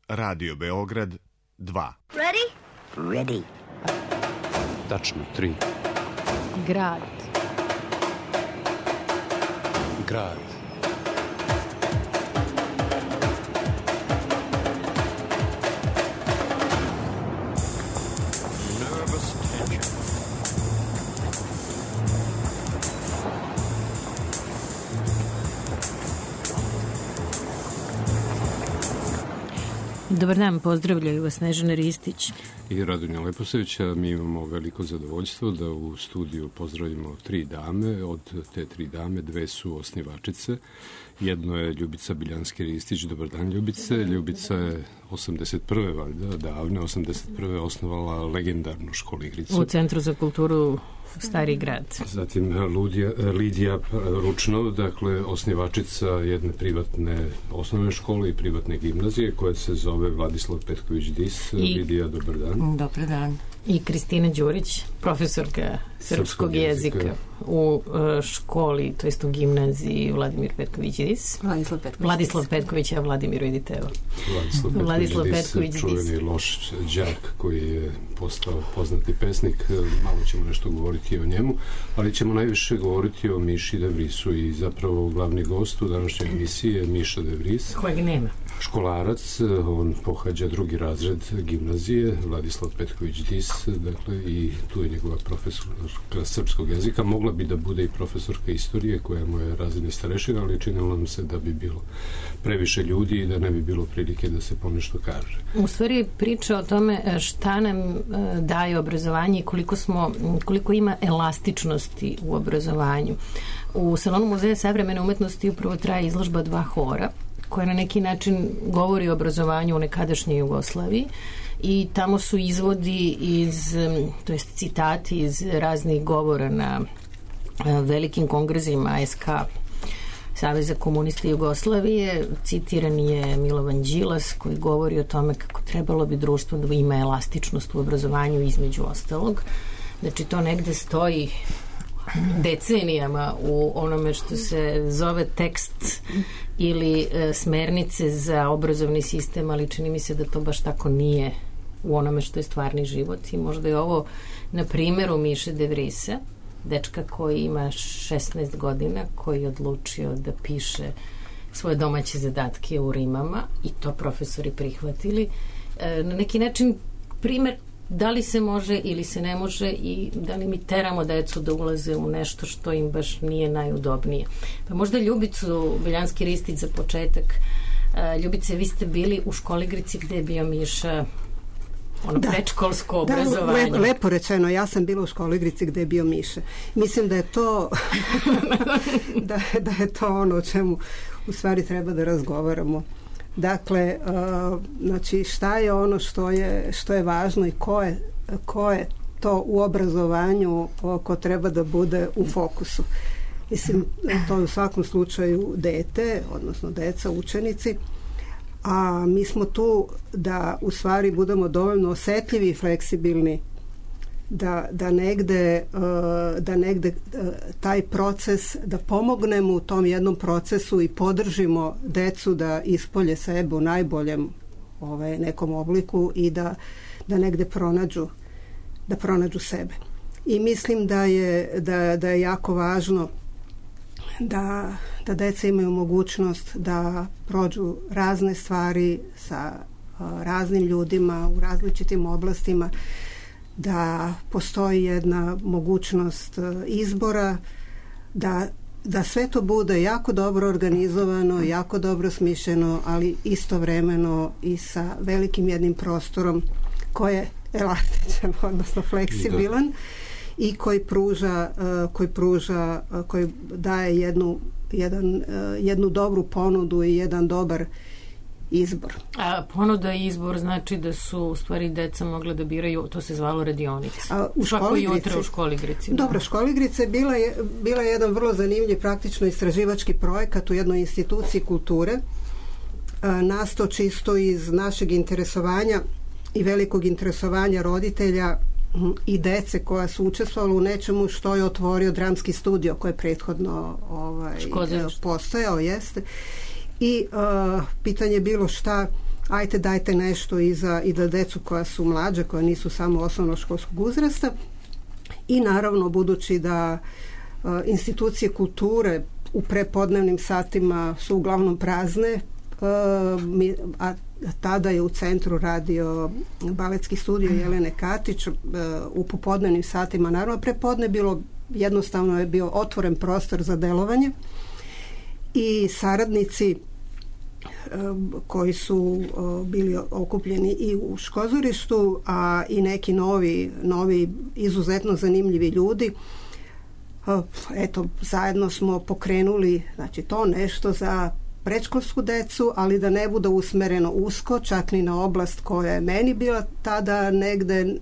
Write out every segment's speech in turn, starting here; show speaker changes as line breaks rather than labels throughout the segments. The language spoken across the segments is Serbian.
Radio Beograd 2.
Ready?
Ready.
Tačno 3.
Grad.
Grad.
Nervous tension.
Dobar dan, pozdravljaju vas Snežana Ristić
I Radonja Leposevića. Mi imamo veliko zadovoljstvo da u studiju pozdravimo 3 dame. Od te 3 dame 2 su osnivačice. Jedno je Ljubica Biljanski-Ristić. Dobar dan, Ljubice. Ljubica je 81. valjda, davne 81. osnovala legendarnu školu igricu
u Centru za kulturu Stari grad.
Zatim Lidija Ručno, dakle osnivačica jedne privatne osnovne škole i privatne gimnazije koja se zove Vladislav Petković-Dis. Lidija, dobar dan.
Dobar dan.
I Kristina Đurić, profesorka srpskog jezika u školi, to jest u gimnaziji Vladimir Petković-Dis. Vladislav Petković, a Vladimir, vidite, evo.
Vladislav Petković-Dis, čuveni loš đak koji je postao poznati pesnik. Malo ćemo nešto govoriti o njemu, ali ćemo najviše govoriti o Miši De Vrisu i zapravo glavni gost u današnjoj emisiji je Miša De Vris.
Kojeg nema.
Školarac, on pohađa 2. razred gimnazije, Vladislav Petković-Dis, dakle, i tu je njegova profesorka srpskog jezika. Mogla bi da bude i profesorka istorije, koja mu je razredni starešina, ali činilo nam se da bi bilo previše ljudi i da ne bi bilo prilike da se ponešto kaže.
U stvari priča o tome šta nam daje obrazovanje i koliko ima elastičnosti u obrazovanju. U Salonu muzeja savremene umetnosti upravo traje izložba 2 hora, koja na neki način govori o obrazovanju u nekadašnjoj Jugoslaviji i tamo su izvodi to jest citati iz raznih govora na velikim kongresima SK Saveza komunista Jugoslavije. Citiran je Milovan Đilas koji govori o tome kako trebalo bi društvo da ima elastičnost u obrazovanju između ostalog. Znači to negde stoji decenijama u onome što se zove tekst ili smernice za obrazovni sistem, ali čini mi se da to baš tako nije u onome što je stvarni život. I možda je ovo na primjeru Miše De Vrisa, dečka koji ima 16 godina, koji je odlučio da piše svoje domaće zadatke u rimama i to profesori prihvatili. Na neki način primjer da li se može ili se ne može i da li mi teramo decu da ulaze u nešto što im baš nije najudobnije. Pa možda Ljubicu Biljanski-Ristić za početak. Ljubice, vi ste bili u školi igrici gde je bio Miša predškolsko obrazovanje.
Da, lepo rečeno, ja sam bila u školi igrici gde je bio Miša. Mislim da je to da je to ono o čemu u stvari treba da razgovaramo. Dakle, znači šta je ono što je važno i ko je to u obrazovanju ko treba da bude u fokusu. Mislim, to je u svakom slučaju dete, odnosno deca, učenici, a mi smo tu da u stvari budemo dovoljno osetljivi i fleksibilni da negde taj proces, da pomognemo u tom jednom procesu i podržimo decu da ispolje sebe u najboljem nekom obliku i da negde pronađu sebe. I mislim da je jako važno da deca imaju mogućnost da prođu razne stvari sa raznim ljudima u različitim oblastima, da postoji jedna mogućnost izbora, da sve to bude jako dobro organizovano, jako dobro smišljeno, ali istovremeno i sa velikim jednim prostorom koji je elastičan, odnosno fleksibilan i koji daje jednu dobru ponudu i jedan dobar izbor.
A ponuda i izbor znači da su u stvari deca mogla da biraju, to se zvalo radionica. Svako jutro u školi igrici.
Dobro, škola igrice je bila jedan vrlo zanimljiv praktično istraživački projekat u jednoj instituciji kulture. Nastao čisto iz našeg interesovanja i velikog interesovanja roditelja i dece koja su učestvovala u nečemu što je otvorio dramski studio koji je prethodno postojao, jeste. I pitanje je bilo ajte dajte nešto i za decu koja su mlađe, koja nisu samo osnovnoškolskog uzrasta. I naravno, budući da institucije kulture u prepodnevnim satima su uglavnom prazne, a tada je u centru radio baletski studio Jelene Katić, u popodnevnim satima, naravno prepodne jednostavno je bio otvoren prostor za delovanje i saradnici koji su bili okupljeni i u Škozorištu, a i neki novi izuzetno zanimljivi ljudi. Eto, zajedno smo pokrenuli, znači, to nešto za predškolsku decu, ali da ne bude usmereno usko, čak ni na oblast koja je meni bila tada negde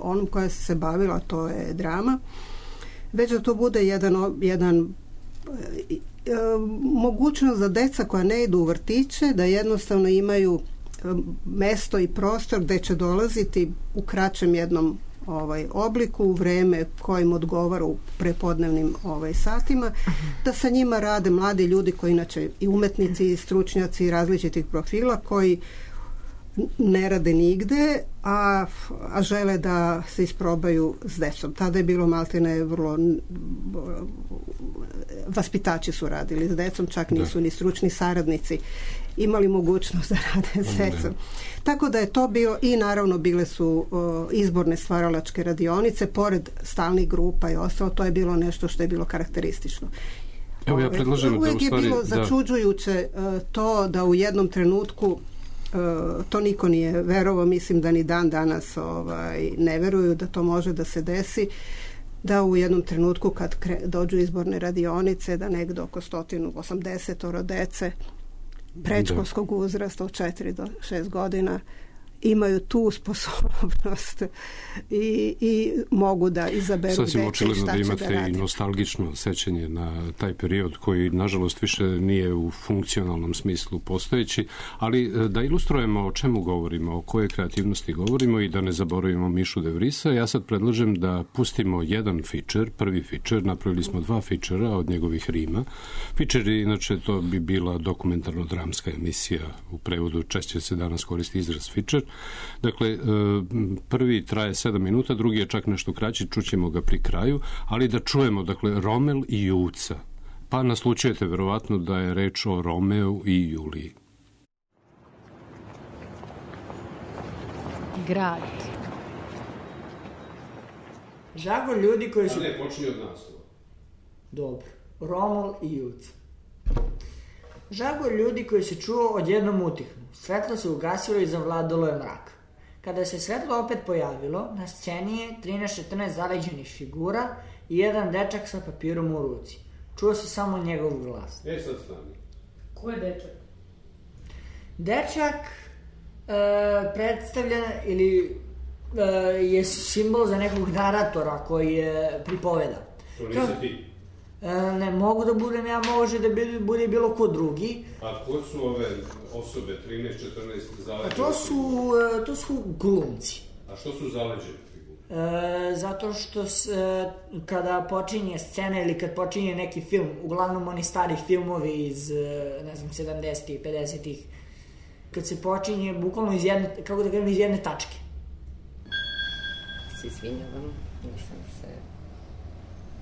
onom koja se bavila, to je drama, već da to bude jedan mogućnost za deca koja ne idu u vrtiće, da jednostavno imaju mesto i prostor gde će dolaziti u kraćem jednom obliku, u vreme kojim odgovara u prepodnevnim satima, da sa njima rade mladi ljudi koji inače i umetnici i stručnjaci različitih profila koji ne rade nigde, a žele da se isprobaju s decom. Tada je bilo maltene vrlo vaspitači su radili s decom, čak nisu ni stručni saradnici imali mogućnost da rade s decom. Tako da je to bio, i naravno bile su izborne stvaralačke radionice, pored stalnih grupa i ostalo, to je bilo nešto što je bilo karakteristično.
Evo, ja predlažem
uvijek je bilo začuđujuće to da u jednom trenutku to niko nije verovao, mislim da ni dan danas ne veruju da to može da se desi, da u jednom trenutku kad dođu izborne radionice, da negde oko 180 dece predškolskog uzrasta od 4 do 6 godina imaju tu sposobnost i mogu da izaberu
sasvim
deca i šta
da
će
imate
da radi.
I nostalgično sećanje na taj period koji nažalost više nije u funkcionalnom smislu postojeći, ali da ilustrujemo o čemu govorimo, o kojoj kreativnosti govorimo i da ne zaboravimo Mišu de Vrisa, ja sad predlažem da pustimo jedan feature, prvi feature, napravili smo 2 featura od njegovih rima. Feature, inače, to bi bila dokumentarno-dramska emisija, u prevodu češće se danas koristi izraz feature. Dakle, prvi traje 7 minuta, drugi je čak nešto kraći, čućemo ga pri kraju, ali da čujemo, dakle, Romel i Juca. Pa naslučujete verovatno da je reč o Romeu i Juliji.
Grad.
Žagor ljudi koji su...
Ne, počni od nas.
Dobro. Romel i Juca. Žagor ljudi koji se čuo odjednom utihnu. Svetlo se ugasilo i zavladalo je mrak. Kada se svetlo opet pojavilo, na sceni je 13-14 zaleđenih figura i jedan dečak sa papirom u ruci. Čuo se samo njegov glas.
Sad stani.
Ko je dečak?
Dečak predstavlja ili je simbol za nekog naratora koji je pripoveda.
To nisi ti?
Ne mogu da budem ja, može da bude bilo ko drugi.
A ko su ove osobe, 13-14 zaleđene?
To su glumci.
A što su zaleđene figure?
Zato što kada počinje scena ili kad počinje neki film, uglavnom oni starih filmovi iz, ne znam, 70-ih, 50-ih, kad se počinje bukvalno iz jedne, kako da kažem, iz jedne tačke.
Se izvinjavam, nisam se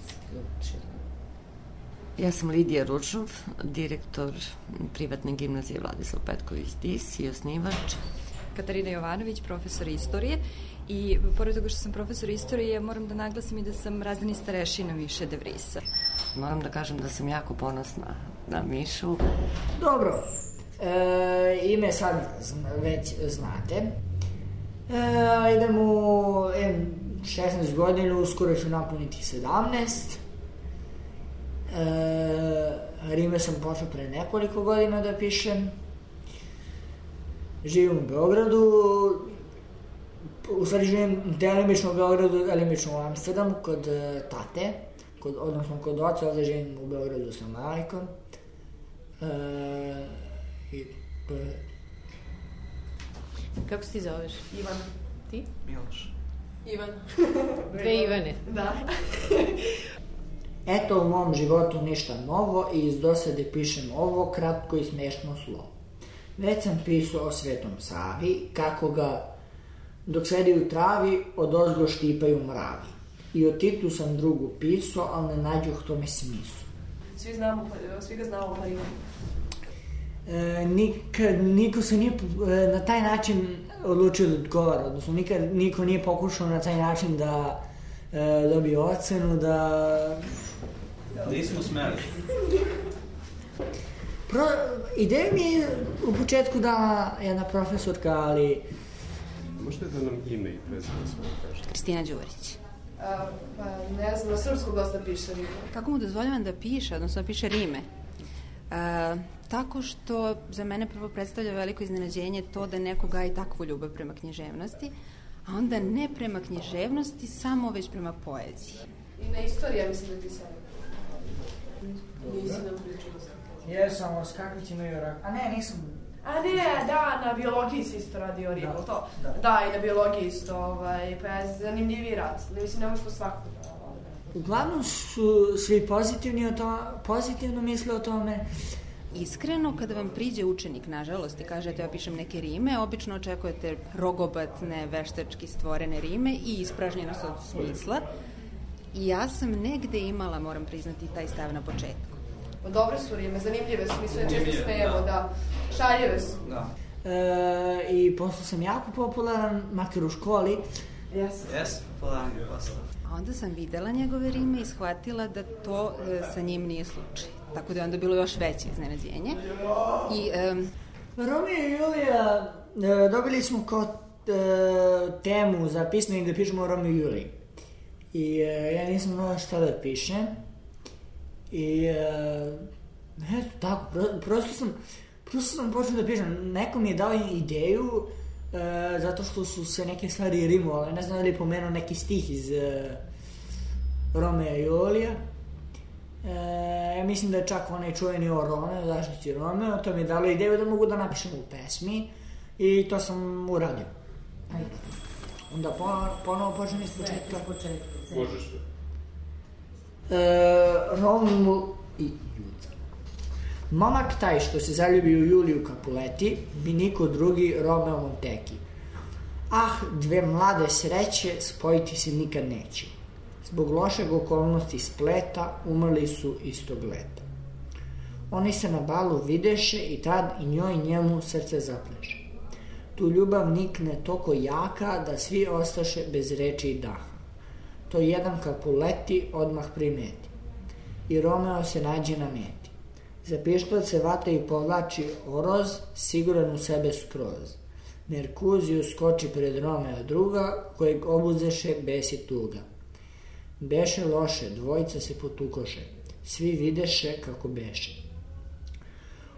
sključila. Ja sam Lidija Ručnov, direktor privatne gimnazije Vladislav Petković Dis i osnivač.
Katarina Jovanović, profesor istorije, i pored toga što sam profesor istorije, moram da naglasim i da sam razredni starešina Miše de Vrisa.
Moram da kažem da sam jako ponosna na Mišu.
Dobro, ime sad već znate. Idem u 16 godina, uskoro ću napuniti 17. Rime sam počeo pre nekoliko godina da pišem. Živim u Beogradu, u stvari živim delimično u Beogradu, delimično u Amsterdamu kod tate, odnosno kod oca, ovde živim u Beogradu sa majkom.
Kako se ti zoveš?
Ivana.
Ti?
Miloš.
Ivana. Dve Ivane.
Da.
Eto u mom životu ništa novo i iz dosade pišem ovo kratko i smešno slovo. Već sam pisao o Svetom Savi, kako ga, dok sedi u travi, odozgo štipaju mravi. I o Titu sam drugu pisao, ali ne nađuh tome smislu.
Svi ga znamo pa imamo.
Niko se nije na taj način odlučio da odgovara, odnosno niko nije pokušao na taj način da dobije ocenu, da...
Nismo smeli.
Ideja mi je u početku dala jedna profesorka, ali...
Možete da nam ime i prezime svoje kažete?
Kristina Đurić.
Pa ne znam, na srpsku dosta piše rime.
Kako mu dozvoljavam da piše, odnosno da piše rime? Tako što za mene prvo predstavlja veliko iznenađenje to da neko gaji takvu ljubav prema književnosti, a onda ne prema književnosti, samo već prema poeziji.
I na istoriji, ja mislim da ti sam. Nisi nam pričao.
Jesam, o skakvićima i orak. A ne, nisam.
A ne, da, na biologiji si isto radio ribu, to? Da, i na biologiji isto, pa je zanimljiviji rad. Mislim, ne možeš to svakako da...
Uglavnom su svi pozitivno misle o tome.
Iskreno, kada vam priđe učenik, nažalost, i kažete ja pišem neke rime, obično očekujete rogobatne, veštački stvorene rime i ispražnjenost od smisla. I ja sam negde imala, moram priznati, taj stav na početku.
Dobre su rime, zanimljive su, mi sve često smijemo, da. Šaljive su. Da.
I posle sam jako popularan, makar u školi.
Jes, popularan je posle.
A onda sam videla njegove rime i shvatila da to sa njim nije slučaj. Tako da je onda bilo još veće iznenađenje.
Romeo i Julija dobili smo kao temu za pismenik da pišemo o Romeo i Juliji. I ja nisam znala šta da pišem. I eto tako, prosto sam počeo da pišem. Neko mi je dao ideju zato što su se neke stvari rimovale. Ne znam da li je pomenuo neki stih iz Romea i Julija. Ja mislim da je čak onaj čuveni o Romeo, zaštiti Romeo, to mi je dalo ideju da mogu da napišem u pesmi i to sam uradio. Onda ponovo počnem iz početka.
Možeš sve.
Romul i Juca. Momak taj što se zaljubi u Juliju Capuleti bi niko drugi Romeo Monteki. Ah, dve mlade sreće spojiti se nikad neće. Zbog lošeg okolnosti spleta umrli su istog leta. Oni se na balu videše i tad i njoj njemu srce zapleše. Tu ljubav nikne toko jaka da svi ostaše bez reči i daha. To jedan Capuleti odmah primeti. I Romeo se nađe na meti. Za pištolj se vata i povlači oroz, siguran u sebe skroz. Merkuziju skoči pred Romeo druga, kojeg obuzeše bes i tuga. Beše loše, dvojica se potukoše, svi videše kako beše.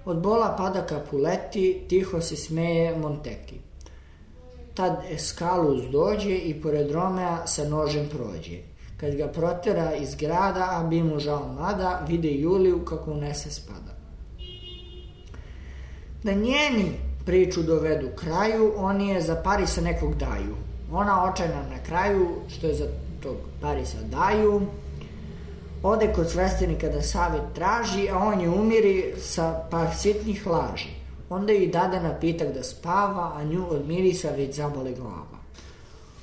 Od bola pada Capuleti, tiho se smeje Monteki. Tad Escalus dođe i pored Romea sa nožem prođe. Kad ga protera iz grada, a bi mu žao mada, vide Juliju kako u nese spada. Da njeni priču dovedu kraju, oni je za Parisa nekog daju. Ona očajna na kraju, što je za tog Parisa daju, ode kod sveštenika da savet traži, a on je umiri sa par sitnih laži. Onda joj dade napitak da spava, a nju od mirisa već zabole glava.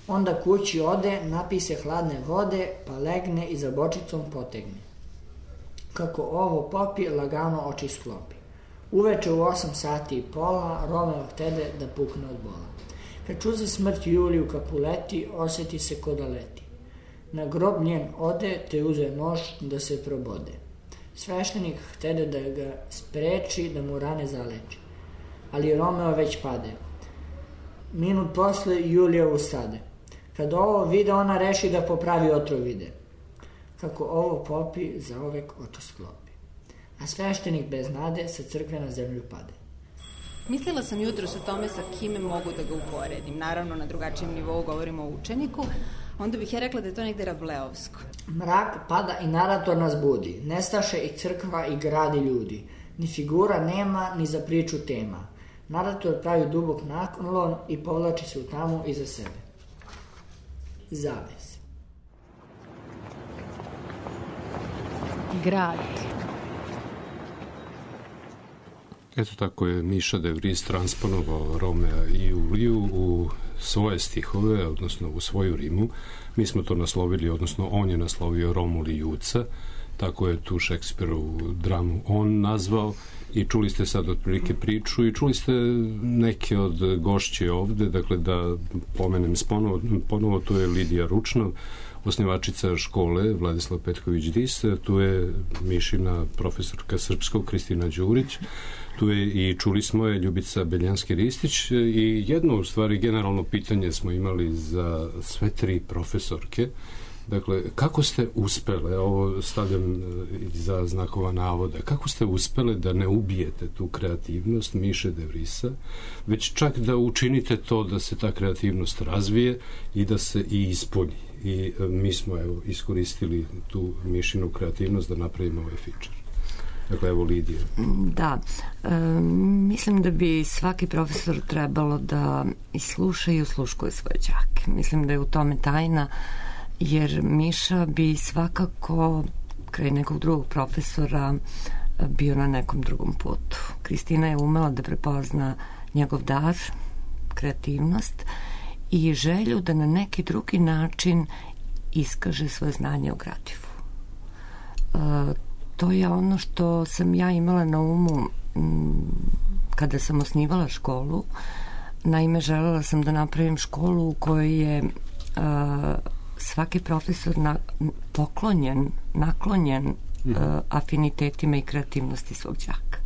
Onda kući ode, napise hladne vode, pa legne i za bočicom potegne. Kako ovo popi, lagano oči sklopi. Uveče u 8 sati i pola, Romeo htede da pukne od bola. Kad čuze smrt Juliju Capuleti, osjeti se ko da leti. Na grob njen ode, te uze nož da se probode. Sveštenik htede da ga spreči, da mu rane zaleči. Ali Romeo već pade. Minut posle Julija ustade. Kad ovo vide, ona reši da popravi otrov vide. Kako ovo popi, zaovek oto sklopi. A sveštenik bez nade sa crkve na zemlju pade.
Mislila sam jutros o tome sa kime mogu da ga uporedim. Naravno, na drugačijem nivou govorimo o učeniku. Onda bih ja rekla da je to negde Rableovsko.
Mrak pada i narator nas budi. Nestaše i crkva i grad i ljudi. Ni figura nema, ni za priču tema. Narator pravi dubok naklon i povlači se u tamu iza sebe. Zaves.
Grad.
Eto tako je Miša de Vries transponovao Romea i Juliju u svoje stihove, odnosno u svoju rimu. Mi smo to naslovili, odnosno on je naslovio Romul i Juca, tako je tu Šekspirovu dramu on nazvao, i čuli ste sad otprilike priču i čuli ste neke od gošće ovde, dakle da pomenem ponovo, tu je Lidija Ručnov, osnivačica škole Vladislav Petković-Dis, tu je Mišina profesorka srpskog Kristina Đurić, tu je i čuli smo je Ljubica Beljanski-Ristić, i jedno u stvari generalno pitanje smo imali za sve tri profesorke. Dakle, kako ste uspele, ovo stavljam za znakova navoda, kako ste uspele da ne ubijete tu kreativnost Miše de Vriesa, već čak da učinite to da se ta kreativnost razvije i da se i ispolji. I mi smo iskoristili tu Mišinu kreativnost da napravimo ovaj feature. Dakle, evo Lidija.
Da, mislim da bi svaki profesor trebalo da isluša i usluškuje svoje đake. Mislim da je u tome tajna, jer Miša bi svakako kraj nekog drugog profesora bio na nekom drugom putu. Kristina je umela da prepozna njegov dar, kreativnost i želju da na neki drugi način iskaže svoje znanje o gradivu. To je ono što sam ja imala na umu kada sam osnivala školu. Naime, želela sam da napravim školu u kojoj je svaki profesor naklonjen afinitetima i kreativnosti svog đaka.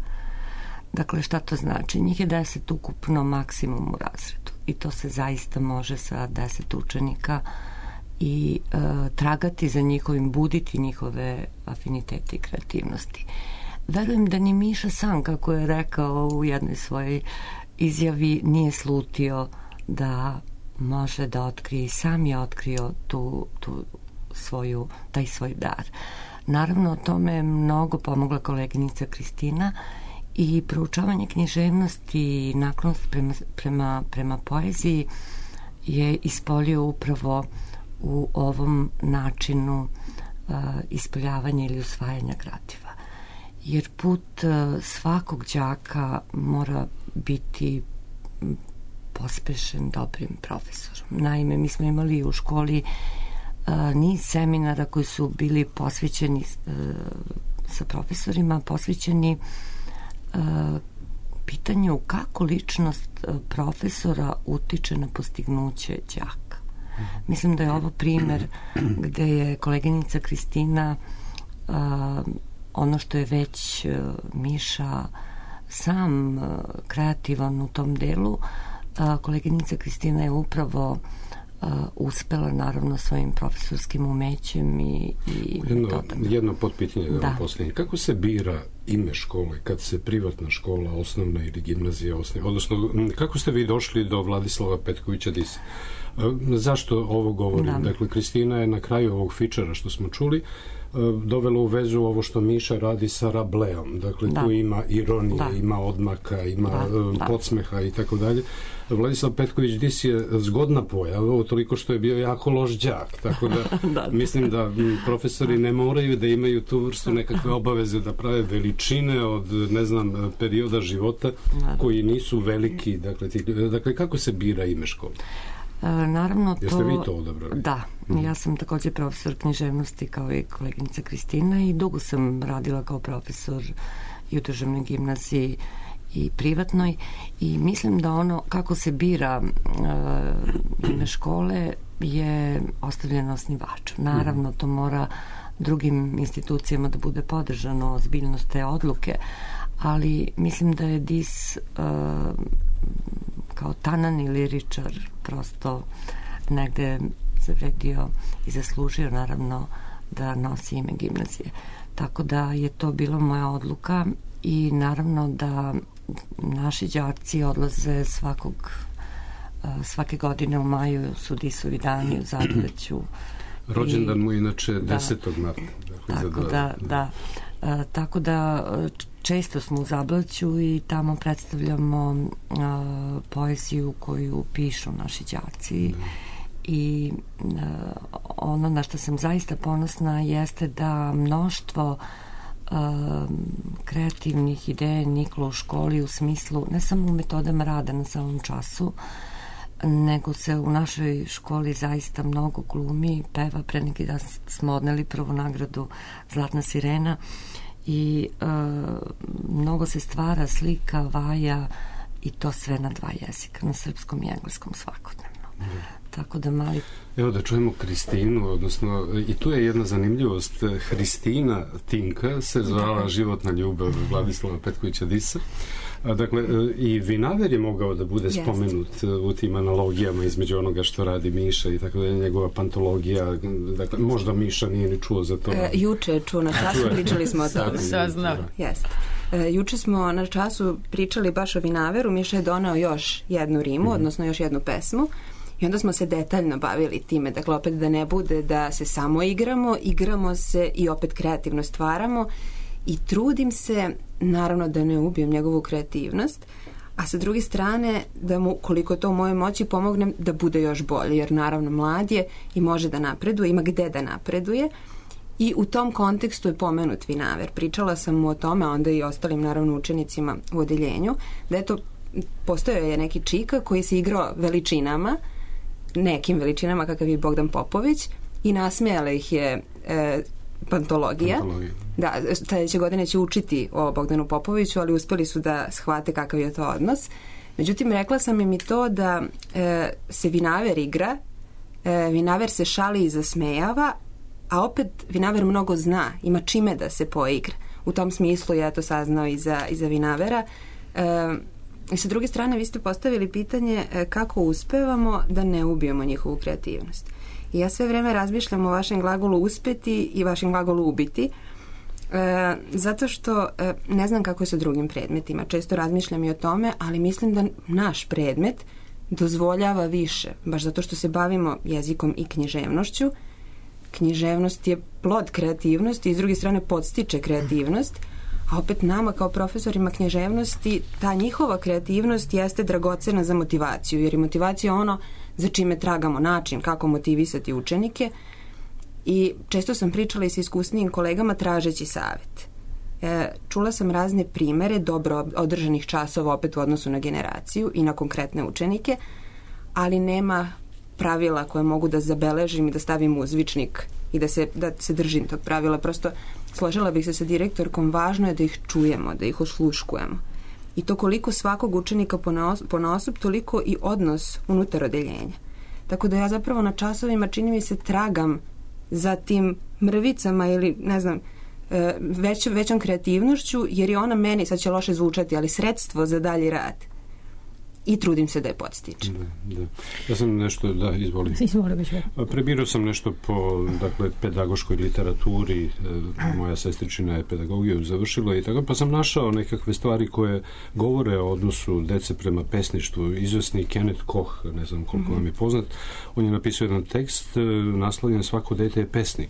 Dakle, šta to znači? Njih je 10 ukupno maksimum u razredu i to se zaista može sa 10 učenika i tragati za njihovim, buditi njihove afinitete i kreativnosti. Verujem da ni Miša sam, kako je rekao u jednoj svojoj izjavi, nije slutio da može da otkrije, sam je otkrio taj svoj dar. Naravno, o tome je mnogo pomogla koleginica Kristina i proučavanje književnosti i naklonost prema poeziji je ispolio upravo u ovom načinu ispoljavanja ili usvajanja gradiva. Jer put svakog đaka mora biti pospešen dobrim profesorom. Naime, mi smo imali u školi niz seminara koji su bili posvećeni sa profesorima, posvećeni pitanju kako ličnost profesora utiče na postignuće đaka. Mislim da je ovo primer gde je koleginica Kristina ono što je već Miša sam kreativan u tom delu, koleginica Kristina je upravo uspela naravno svojim profesorskim umećem i
jedno potpitanje da vam postavim. Kako se bira ime škole kad se privatna škola, osnovna ili gimnazija osniva? Odnosno, kako ste vi došli do Vladislava Petkovića-Disa? Zašto ovo govorim? Da. Dakle, Kristina je na kraju ovog fičera što smo čuli dovela u vezu ovo što Miša radi sa Rableom. Dakle, tu ima ironije, ima odmaka, ima podsmeha i tako dalje. Vladislav Petković-Dis je zgodna pojava, toliko što je bio jako loš đak. Tako da mislim da profesori ne moraju da imaju tu vrstu nekakve obaveze da prave veličine od, ne znam, perioda života koji nisu veliki. Dakle, kako se bira ime škole?
Naravno,
jeste vi to odabrali?
Da, ja sam također profesor književnosti kao i koleginica Kristina i dugo sam radila kao profesor i u državnoj gimnaziji i privatnoj i mislim da ono kako se bira ime škole je ostavljeno osnivaču. Naravno, to mora drugim institucijama da bude podržano, ozbiljnost te odluke, ali mislim da je Dis kao tanani liričar prosto negde zavredio i zaslužio naravno da nosi ime gimnazije. Tako da je to bila moja odluka i naravno da naši đaci odlaze svake godine u maju su Disovi dani u Zadoveću.
Rođendan mu inače 10. marta.
Tako da često smo u Zablaću i tamo predstavljamo poeziju koju pišu naši đaci i ono na što sam zaista ponosna jeste da mnoštvo kreativnih ideja niklo u školi u smislu ne samo u metodama rada na samom času, nego se u našoj školi zaista mnogo glumi, peva. Pre neki dan smo odneli prvu nagradu Zlatna sirena i mnogo se stvara, slika, vaja i to sve na 2 jezika, na srpskom i engleskom svakodnevno. Tako da mali...
Evo da čujemo Kristinu, odnosno i tu je jedna zanimljivost. Hristina Tinka se zvala Životna ljubav Vladislava Petkovića Disa. Dakle, i Vinaver je mogao da bude spomenut u tim analogijama između onoga što radi Miša i tako da je njegova pantologija. Dakle, možda Miša nije ni čuo za to.
Juče je čuo na času, pričali smo o tome.
Saznao.
Jeste. Juče smo na času pričali baš o Vinaveru. Miša je donao još jednu rimu, odnosno još jednu pesmu. I onda smo se detaljno bavili time, dakle opet da ne bude da se samo igramo se i opet kreativno stvaramo i trudim se, naravno da ne ubijem njegovu kreativnost, a sa druge strane da mu, koliko to u mojoj moći, pomognem da bude još bolje, jer naravno mlad je i može da napreduje, ima gde da napreduje i u tom kontekstu je pomenut Vinaver. Pričala sam mu o tome, a onda i ostalim naravno učenicima u odeljenju, da je to, postojao je neki čika koji se igrao veličinama, nekim veličinama kakav je Bogdan Popović i nasmejala ih je pantologija. Da, sledeće godine će učiti o Bogdanu Popoviću, ali uspeli su da shvate kakav je to odnos. Međutim, rekla sam im i to da se Vinaver igra, Vinaver se šali i zasmejava, a opet Vinaver mnogo zna, ima čime da se poigra. U tom smislu ja to saznao i za Vinavera. I sa druge strane, vi ste postavili pitanje kako uspevamo da ne ubijemo njihovu kreativnost. I ja sve vreme razmišljam o vašem glagolu uspeti i vašem glagolu ubiti, zato što ne znam kako je sa drugim predmetima. Često razmišljam i o tome, ali mislim da naš predmet dozvoljava više, baš zato što se bavimo jezikom i književnošću. Književnost je plod kreativnosti i s druge strane podstiče kreativnost, a opet nama kao profesorima književnosti ta njihova kreativnost jeste dragocena za motivaciju, jer je motivacija ono za čime tragamo način kako motivisati učenike i često sam pričala i sa iskusnijim kolegama tražeći savjet. Čula sam razne primere dobro održanih časova opet u odnosu na generaciju i na konkretne učenike, ali nema pravila koje mogu da zabeležim i da stavim u zvičnik i da se držim tog pravila. Prosto složila bih se sa direktorkom, važno je da ih čujemo, da ih osluškujemo. I to koliko svakog učenika ponaosob, toliko i odnos unutar odeljenja. Tako da ja zapravo na časovima, čini mi se, tragam za tim mrvicama ili, ne znam, većom kreativnošću, jer je ona meni, sad će loše zvučati, ali sredstvo za dalji rad. I trudim se da je podstičem.
Da. Ja sam nešto, izvoli. Prebirao sam nešto po, pedagoškoj literaturi, moja sestričina je pedagogiju završila i tako, pa sam našao nekakve stvari koje govore o odnosu dece prema pesništvu. Izvesni Kenneth Koch, ne znam koliko vam je poznat, on je napisao jedan tekst naslovljen Svako dete je pesnik.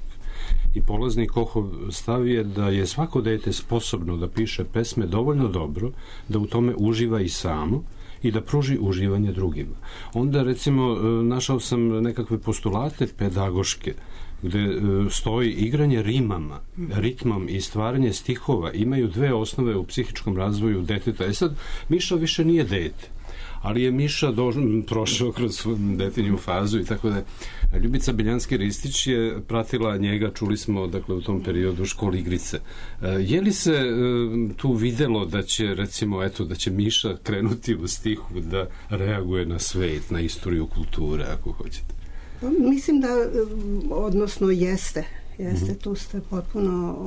I polazni Kohov stav je da je svako dete sposobno da piše pesme dovoljno dobro, da u tome uživa i samo, i da pruži uživanje drugima. Onda, recimo, našao sam nekakve postulate pedagoške gde stoji igranje rimama, ritmom i stvaranje stihova imaju 2 osnove u psihičkom razvoju deteta. Sad, Miša više nije dete, ali je Miša prošao kroz detinju fazu i tako da Ljubica Biljanski-Ristić je pratila njega, čuli smo u tom periodu Školi igrice. Je li se tu videlo da će, recimo, da će Miša krenuti u stihu da reaguje na svet, na istoriju kulture, ako hoćete?
Mislim da, odnosno jeste, tu ste potpuno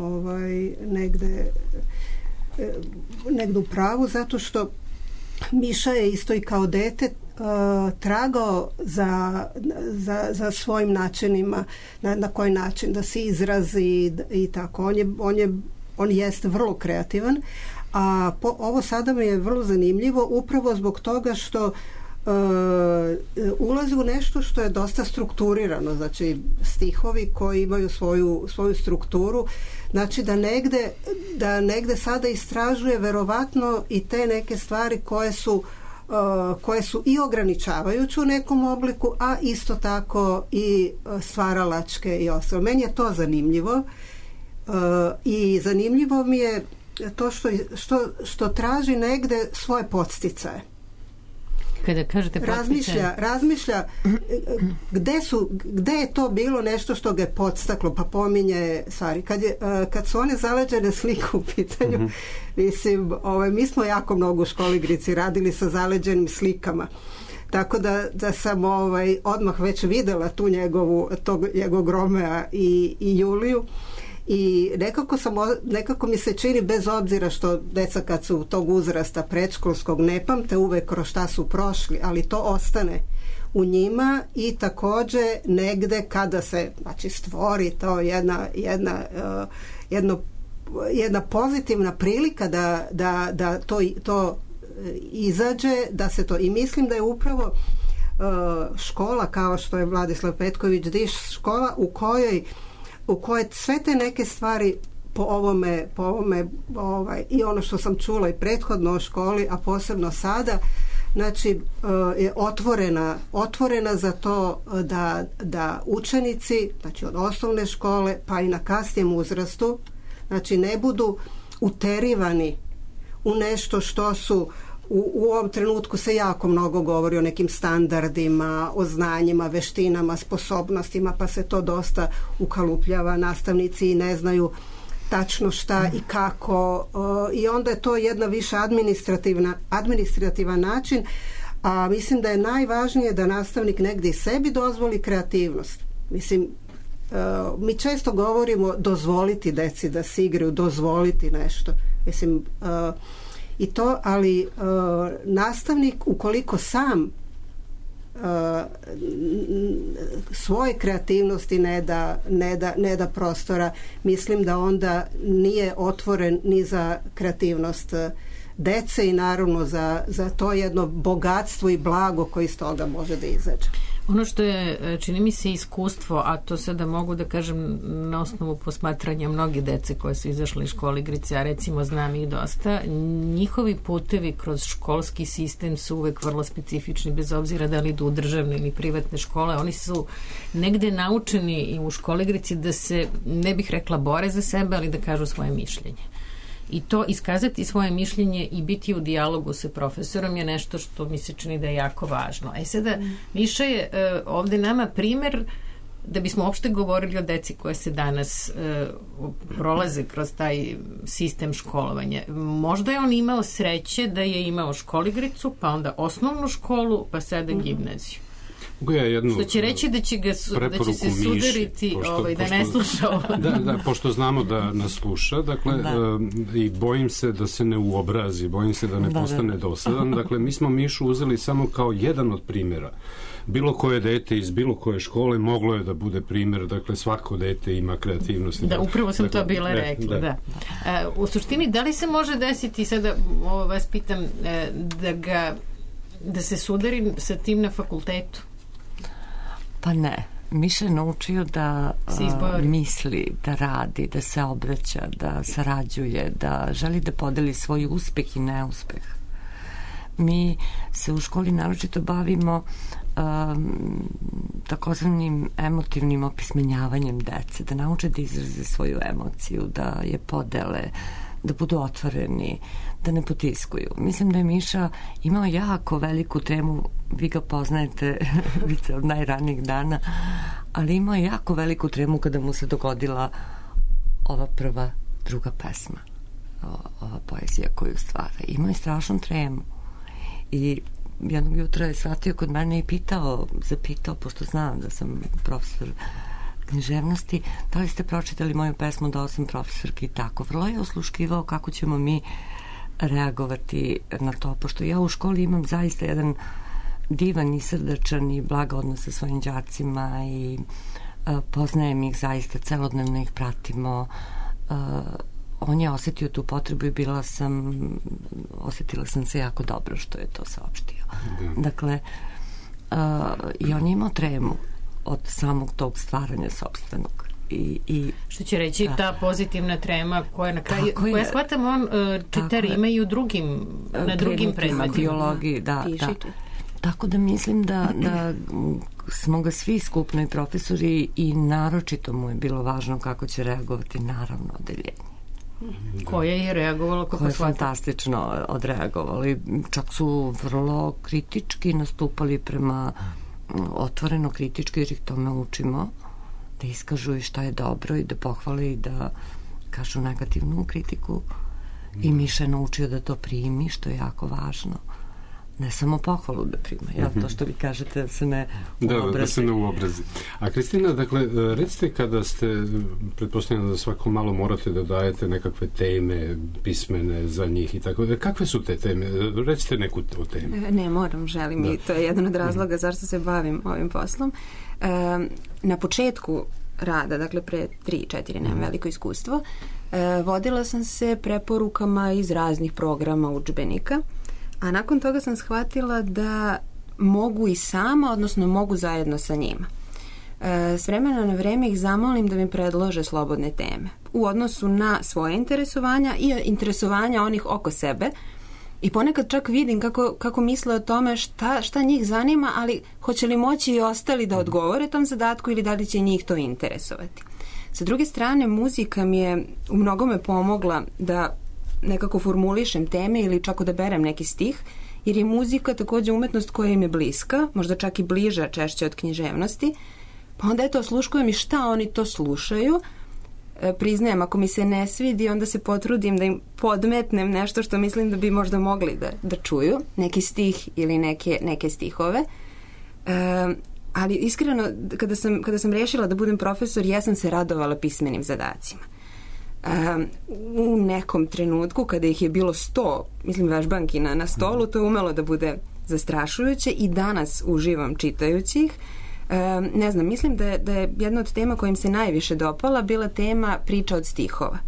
negde u pravu, zato što Miša je isto i kao dete tragao za svojim načinima, na koji način da se izrazi i tako. On jeste vrlo kreativan, a ovo sada mi je vrlo zanimljivo upravo zbog toga što ulazi u nešto što je dosta strukturirano, znači stihovi koji imaju svoju strukturu, znači da negde sada istražuje verovatno i te neke stvari koje su i ograničavajuće u nekom obliku, a isto tako i stvaralačke i ostalo. Meni je to zanimljivo. I zanimljivo mi je to što traži negde svoje podsticaje.
Kada kažete podsticaje...
Razmišlja gde je to bilo nešto što ga je podstaklo, pa pominje stvari. Kad su one zaleđene slike u pitanju, mislim, mi smo jako mnogo u školi Grici radili sa zaleđenim slikama. Tako da sam odmah već videla tu njegovog Romea i Juliju i nekako mi se čini, bez obzira što deca kad su tog uzrasta predškolskog ne pamte uvek kroz šta su prošli, ali to ostane u njima i takođe negde kada se stvori to jedna pozitivna prilika da to izađe, da se to, i mislim da je upravo škola kao što je Vladislav Petković Diš škola u kojoj sve te neke stvari po ovome i ono što sam čula i prethodno o školi, a posebno sada, znači je otvorena za to da učenici, znači od osnovne škole pa i na kasnijem uzrastu, znači ne budu uterivani u nešto što su u ovom trenutku se jako mnogo govori o nekim standardima, o znanjima, veštinama, sposobnostima, pa se to dosta ukalupljava, nastavnici ne znaju tačno šta i kako, i onda je to jedna više administrativan način, a mislim da je najvažnije da nastavnik negdje sebi dozvoli kreativnost. Mislim, mi često govorimo dozvoliti deci da se igraju, dozvoliti nešto. Mislim, i to, ali nastavnik ukoliko sam svoje kreativnosti ne da prostora, mislim da onda nije otvoren ni za kreativnost dece i naravno za to jedno bogatstvo i blago koji iz toga može da izađe.
Ono što je, čini mi se, iskustvo, a to sada mogu da kažem na osnovu posmatranja mnoge dece koje su izašle iz škole Igrice, a recimo znam ih dosta, njihovi putevi kroz školski sistem su uvek vrlo specifični, bez obzira da li idu u državne ili privatne škole. Oni su negde naučeni i u školi Igrici da se, ne bih rekla bore za sebe, ali da kažu svoje mišljenje. I to iskazati svoje mišljenje i biti u dijalogu sa profesorom je nešto što mi se čini da je jako važno. Sada, Miša je ovde nama primer da bismo uopšte govorili o deci koje se danas prolaze kroz taj sistem školovanja. Možda je on imao sreće da je imao školigricu, pa onda osnovnu školu, pa sada gimnaziju. Što će reći da će se sudariti da ne sluša ovo.
Da, pošto znamo da nas sluša, dakle, i bojim se da se ne uobrazi, bojim se da ne postane dosadan. Dakle, mi smo Mišu uzeli samo kao jedan od primjera. Bilo koje dete iz bilo koje škole moglo je da bude primjer, dakle, svako dete ima kreativnost.
Da, upravo sam to bila rekla, da. U suštini, da li se može desiti, sada vas pitam, da se sudari sa tim na fakultetu?
Pa ne. Miša je naučio da misli, da radi, da se obraća, da sarađuje, da želi da podeli svoj uspeh i neuspeh. Mi se u školi naročito bavimo takozvanim emotivnim opismenjavanjem dece, da nauče da izraze svoju emociju, da je podele, da budu otvoreni, da ne potiskuju. Mislim da je Miša imao jako veliku temu, vi ga poznajete od najranijih dana, ali imao je jako veliku tremu kada mu se dogodila ova druga pesma, ova poezija koju stvara. Imao je strašnu tremu i jednog jutra je shvatio kod mene i zapitao, pošto znam da sam profesor književnosti, da li ste pročitali moju pesmu da sam profesorki i tako. Vrlo je osluškivao kako ćemo mi reagovati na to, pošto ja u školi imam zaista jedan divan i srdačan i blag odnos sa svojim đacima i poznajem ih zaista, celodnevno ih pratimo. On je osetio tu potrebu i osetila sam se jako dobro što je to saopštio. Dakle, i on je imao tremu od samog tog stvaranja sopstvenog.
Što će reći ta pozitivna trema koja na kraju, koja shvatam on čita rime i na drugim predmetima.
Biologiji, da. Tako da mislim da smo ga svi skupno i profesori i naročito mu je bilo važno kako će reagovati naravno odeljenje.
Koje je reagovalo kako
koje je fantastično odreagovali. Čak su vrlo kritički nastupali prema otvoreno kritički, jer ih tome učimo, da iskažu i šta je dobro i da pohvale i da kažu negativnu kritiku. I Miša je naučio da to primi, što je jako važno. Ne samo pohvalu da prima, to što vi kažete da se ne uobrazi.
Da se ne uobrazi. A Kristina, dakle, recite kada ste, pretpostavljam da svako malo morate da dajete nekakve teme pismene za njih i tako, kakve su te teme? Recite neku o temi.
Ne moram, želim i to je jedan od razloga zašto se bavim ovim poslom. Na početku rada, dakle pre 3-4, nemam veliko iskustvo, vodila sam se preporukama iz raznih programa udžbenika. A nakon toga sam shvatila da mogu i sama, odnosno mogu zajedno sa njima. S vremena na vreme ih zamolim da mi predlože slobodne teme u odnosu na svoje interesovanja i interesovanja onih oko sebe. I ponekad čak vidim kako misle o tome šta njih zanima, ali hoće li moći i ostali da odgovore tom zadatku ili da li će njih to interesovati. Sa druge strane, muzika mi je u mnogome pomogla da nekako formulišem teme ili čak odaberem neki stih, jer je muzika također umetnost koja im je bliska, možda čak i bliža češće od književnosti, pa onda osluškujem i šta oni to slušaju. Priznajem, ako mi se ne svidi, onda se potrudim da im podmetnem nešto što mislim da bi možda mogli da čuju, neki stih ili neke stihove. Ali iskreno, kada sam rešila da budem profesor, ja sam se radovala pismenim zadacima. U nekom trenutku kada ih je bilo 100, mislim vežbanki na stolu, to je umelo da bude zastrašujuće i danas uživam čitajući ih. Ne znam, mislim da je jedna od tema koja im se najviše dopala bila tema priča od stihova.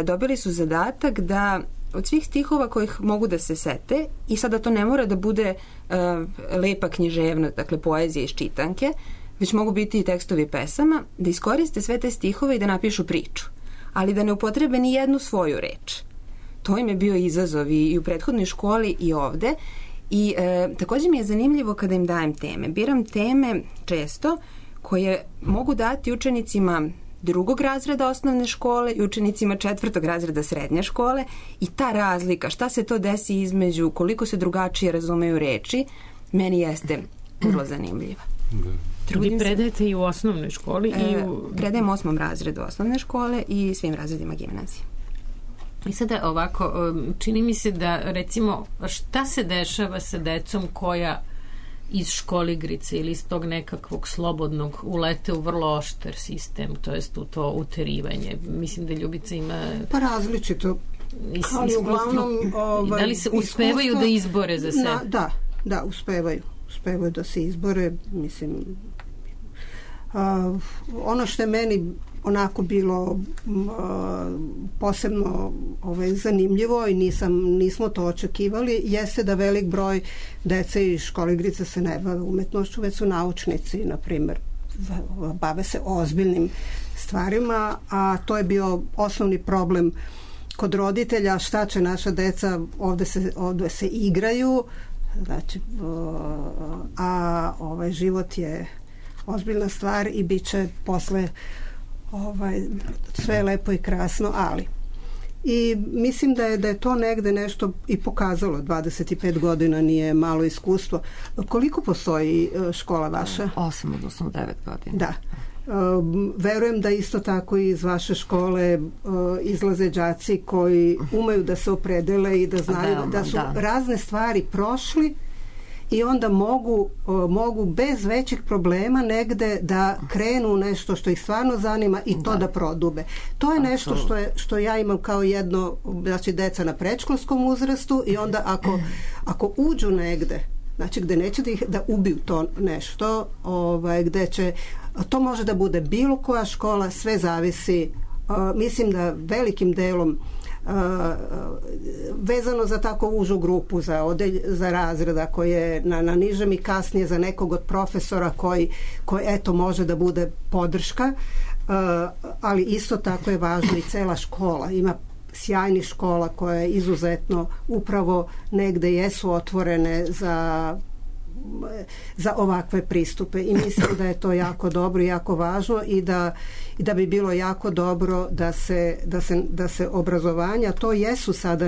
Dobili su zadatak da od svih stihova kojih mogu da se sete, i sada to ne mora da bude lepa književnost, dakle poezija iz čitanke, već mogu biti i tekstovi pesama, da iskoriste sve te stihove i da napišu priču, ali da ne upotrebe ni jednu svoju reč. To im je bio izazov i u prethodnoj školi i ovde. I također mi je zanimljivo kada im dajem teme. Biram teme često koje mogu dati učenicima 2. razreda osnovne škole i učenicima 4. razreda srednje škole, i ta razlika, šta se to desi između, koliko se drugačije razumeju reči, meni jeste vrlo zanimljiva.
Vi predajete i u osnovnoj školi?
Predajem 8. razredu osnovne škole i svim razredima gimnazije.
I sada ovako, čini mi se da, recimo, šta se dešava sa decom koja iz školigrice ili iz tog nekakvog slobodnog ulete u vrlo oštar sistem, to jest u to uterivanje? Mislim da Ljubica ima...
Pa različito. Ali uglavnom...
Da li se uspevaju da izbore za sebe?
Da, uspevaju. Uspevaju da se izbore, mislim... ono što je meni onako bilo posebno zanimljivo i nismo to očekivali, jeste da velik broj dece iz školigrica se ne bave umetnošću, već su naučnici, na primjer, bave se ozbiljnim stvarima, a to je bio osnovni problem kod roditelja, šta će naša deca, ovdje se igraju, znači, a život je ozbiljna stvar i bit će posle sve lepo i krasno, ali. I mislim da je to negde nešto i pokazalo. 25 godina nije malo iskustvo. Koliko postoji škola vaša?
8, odnosno 9 godina.
Da. Verujem da isto tako iz vaše škole izlaze đaci koji umeju da se opredele i da znaju da su razne stvari prošli i onda mogu bez većih problema negde da krenu nešto što ih stvarno zanima i to da prodube. To je nešto što ja imam kao jedno, znači deca na predškolskom uzrastu, i onda ako uđu negde, znači gde neće da ubiju to nešto, gde će, to može da bude bilo koja škola, sve zavisi, mislim da velikim delom vezano za tako užu grupu, za razreda koji je na nižem i kasnije za nekog od profesora koji eto može da bude podrška, ali isto tako je važno i cela škola. Ima sjajnih škola koje izuzetno upravo negde jesu otvorene za ovakve pristupe i mislim da je to jako dobro i jako važno i da bi bilo jako dobro da se obrazovanja, to jesu sada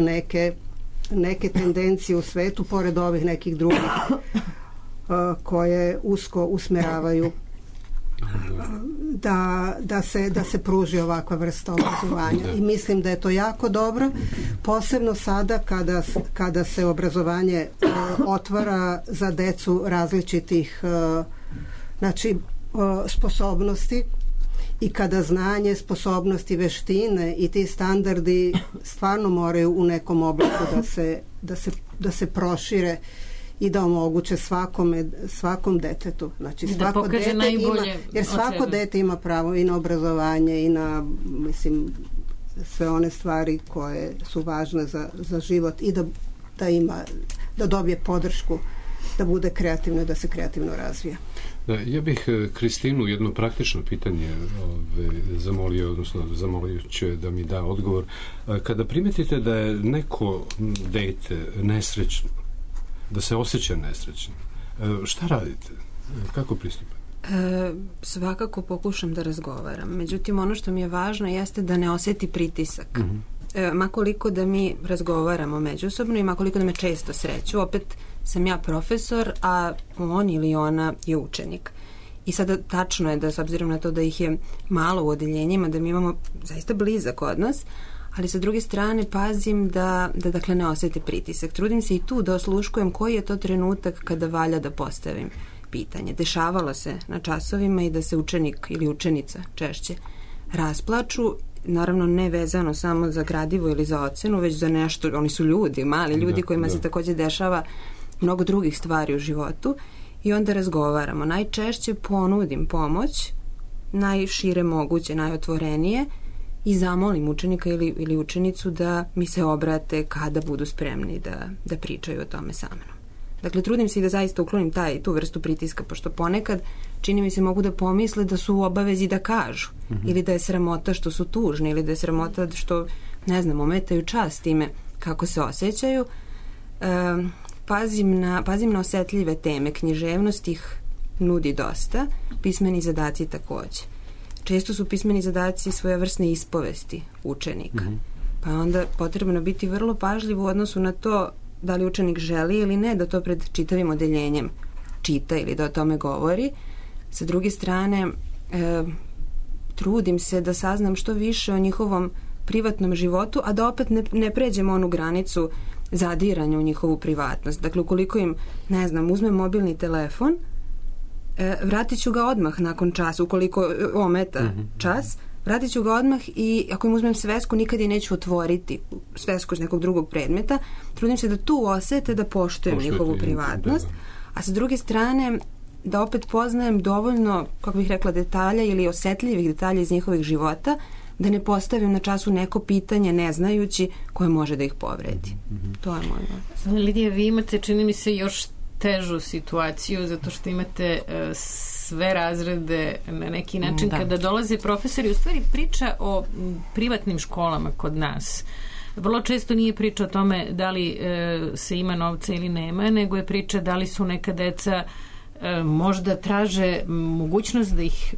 neke tendencije u svetu pored ovih nekih drugih koje usko usmeravaju da se pruži ovakva vrsta obrazovanja i mislim da je to jako dobro, posebno sada kada se obrazovanje otvara za decu različitih sposobnosti i kada znanje, sposobnosti, veštine i ti standardi stvarno moraju u nekom obliku da se prošire i da omoguće svakom detetu. Znači svako dete ima, jer svako dete ima pravo i na obrazovanje i na, mislim, sve one stvari koje su važne za život i da dobije podršku, da bude kreativno i da se kreativno razvija.
Da, ja bih Kristinu jedno praktično pitanje zamolio ću da mi da odgovor. Kada primetite da je neko dete nesrećno, da se osjeća nesrećno, šta radite? Kako pristupate?
Svakako pokušam da razgovaram. Međutim, ono što mi je važno jeste da ne osjeti pritisak. Makoliko da mi razgovaramo međusobno i makoliko da me često sreću, opet sam ja profesor, a on ili ona je učenik. I sada tačno je da, s obzirom na to da ih je malo u odeljenjima, da mi imamo zaista blizak odnos, ali sa druge strane pazim da dakle ne osjete pritisak. Trudim se i tu da osluškujem koji je to trenutak kada valja da postavim pitanje. Dešavalo se na časovima i da se učenik ili učenica češće rasplaču, naravno ne vezano samo za gradivo ili za ocenu, već za nešto, oni su ljudi, mali ljudi kojima se također dešava mnogo drugih stvari u životu i onda razgovaramo. Najčešće ponudim pomoć, najšire moguće, najotvorenije i zamolim učenika ili učenicu da mi se obrate kada budu spremni da pričaju o tome sa mnom. Dakle, trudim se i da zaista uklonim tu vrstu pritiska, pošto ponekad čini mi se mogu da pomisle da su u obavezi da kažu ili da je sramota što su tužni ili da je sramota što, ne znam, ometaju čast time kako se osjećaju. Pazim na osetljive teme. Književnost ih nudi dosta, pismeni zadaci također. Često su pismeni zadaci svojevrsne ispovesti učenika. Pa je onda potrebno biti vrlo pažljiv u odnosu na to da li učenik želi ili ne da to pred čitavim odeljenjem čita ili da o tome govori. Sa druge strane, trudim se da saznam što više o njihovom privatnom životu, a da opet ne pređemo onu granicu zadiranja u njihovu privatnost. Dakle, ukoliko im, ne znam, uzmem mobilni telefon, vratit ću ga odmah nakon časa, ukoliko ometa čas, vratit ću ga odmah i ako im uzmem svesku, nikad je neću otvoriti svesku iz nekog drugog predmeta. Trudim se da tu osete da poštujem njihovu privatnost, a sa druge strane da opet poznajem dovoljno, kako bih rekla, detalja ili osetljivih detalja iz njihovih života, da ne postavim na času neko pitanje ne znajući koje može da ih povredi. To je moj odnos.
Lidija, vi imate, čini mi se, još težu situaciju zato što imate sve razrede na neki način. Kada dolaze profesori, u stvari priča o privatnim školama kod nas vrlo često nije priča o tome da li se ima novca ili nema, nego je priča da li su neka deca možda traže mogućnost da ih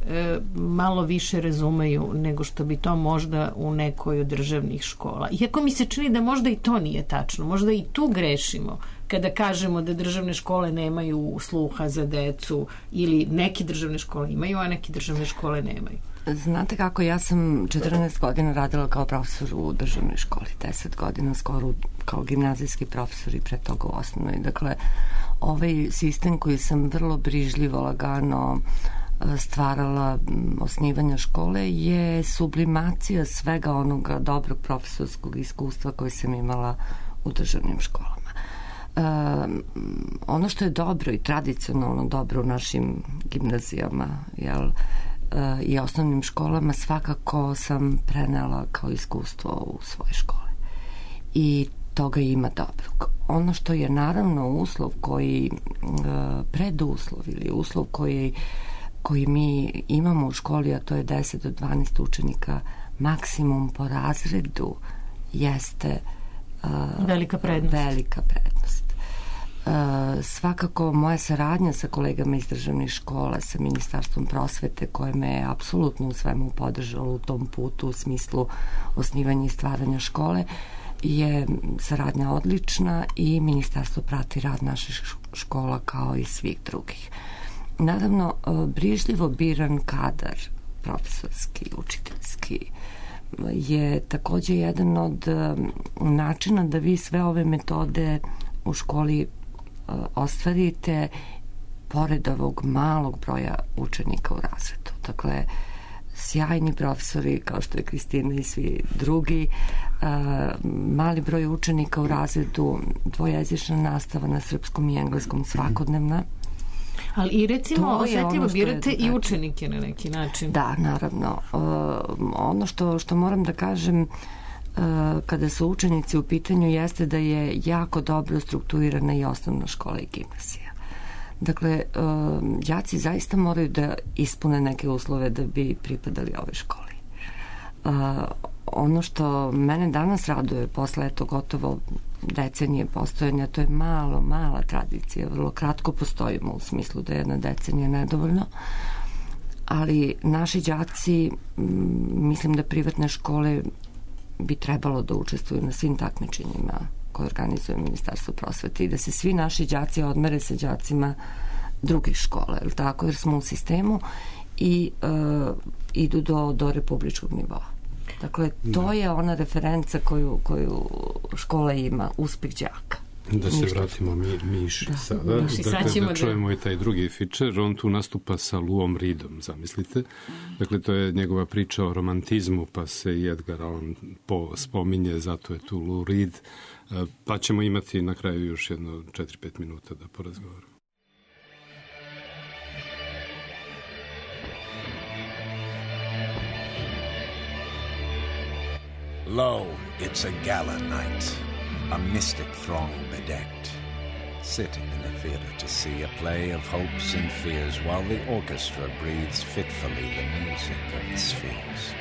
malo više razumeju nego što bi to možda u nekoj od državnih škola. Iako mi se čini da možda i to nije tačno, možda i tu grešimo kada kažemo da državne škole nemaju sluha za decu ili neke državne škole imaju, a neke državne škole nemaju.
Znate kako, ja sam 14 godina radila kao profesor u državnoj školi, 10 godina skoro kao gimnazijski profesor i pre toga u osnovnoj. Dakle, ovaj sistem koji sam vrlo brižljivo, lagano stvarala osnivanja škole je sublimacija svega onoga dobrog profesorskog iskustva koje sam imala u državnim školama. Ono što je dobro i tradicionalno dobro u našim gimnazijama, i osnovnim školama, svakako sam prenela kao iskustvo u svoje škole. I toga ima dobrog. Ono što je naravno uslov koji, preduslov ili uslov koji mi imamo u školi, a to je 10 do 12 učenika maksimum po razredu, jeste
velika prednost.
Svakako moja saradnja sa kolegama iz državnih škola, sa Ministarstvom prosvete, koje me je apsolutno u svemu podržalo u tom putu u smislu osnivanja i stvaranja škole, je saradnja odlična i Ministarstvo prati rad naših škola kao i svih drugih. Naravno, brižljivo biran kadar, profesorski, učiteljski, je takođe jedan od načina da vi sve ove metode u školi ostvarite pored ovog malog broja učenika u razredu. Dakle, sjajni profesori kao što je Kristina i svi drugi, mali broj učenika u razredu, dvojezična nastava na srpskom i engleskom svakodnevna.
Ali i recimo osjetljivo birate i učenike na neki način.
Da, naravno. Ono što moram da kažem kada su učenici u pitanju jeste da je jako dobro strukturirana i osnovna škola i gimnazija. Dakle, đaci zaista moraju da ispune neke uslove da bi pripadali ovoj školi. Ono što mene danas raduje posle gotovo decenije postojanja, to je mala tradicija, vrlo kratko postojimo u smislu da je jedna decenija nedovoljno, ali naši đaci, mislim da privatne škole bi trebalo da učestvuju na svim takmičenjima koje organizuje Ministarstvo prosvete i da se svi naši đaci odmere sa đacima drugih škola, jer smo u sistemu i idu do republičkog nivoa. Dakle, to je ona referenca koju škola ima, uspeh đaka.
Da se vratimo Miši sada. Dakle, da čujemo i taj drugi fičer. On tu nastupa sa Luom Reedom, zamislite. Dakle, to je njegova priča o romantizmu, pa se i Edgar Allan Poe spominje, zato je tu Lou Reed. Pa ćemo imati na kraju još jedno 4-5 minuta da porazgovaramo.
Lo, it's a gala night, a mystic throng bedecked, sitting in a theater to see a play of hopes and fears while the orchestra breathes fitfully the music of the spheres.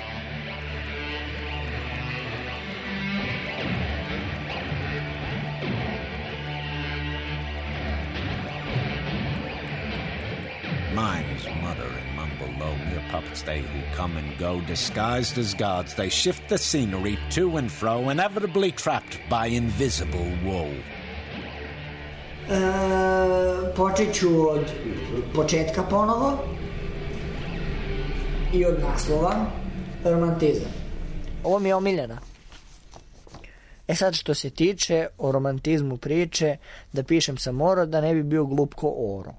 Mimes mutter and mumble low, mere puppets they who come and go, disguised as gods, they shift the scenery to and fro, inevitably trapped by invisible woe.
Počet ću od početka ponovo i od naslova, romantizam. Ovo mi je omiljena. Sad što se tiče o romantizmu priče, da pišem sam Oro, da ne bi bio glup ko Oro.